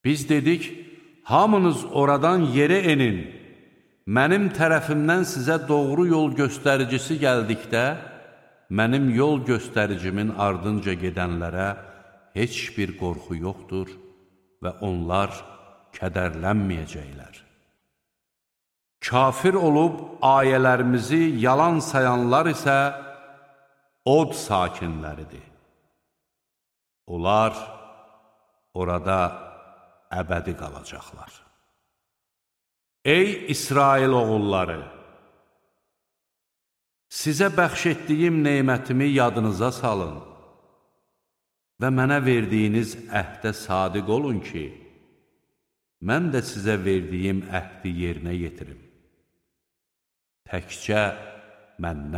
Biz dedik, hamınız oradan yerə enin, mənim tərəfimdən sizə doğru yol göstəricisi gəldikdə, mənim yol göstəricimin ardınca gedənlərə heç bir qorxu yoxdur və onlar kədərlənməyəcəklər. Kafir olub ayələrimizi yalan sayanlar isə od sakinləridir. Onlar orada əbədi qalacaqlar. Ey İsrail oğulları! Sizə bəxş etdiyim neymətimi yadınıza salın və mənə verdiyiniz əhdə sadiq olun ki, mən də sizə verdiyim əhdi yerinə yetirim. Təkcə məndən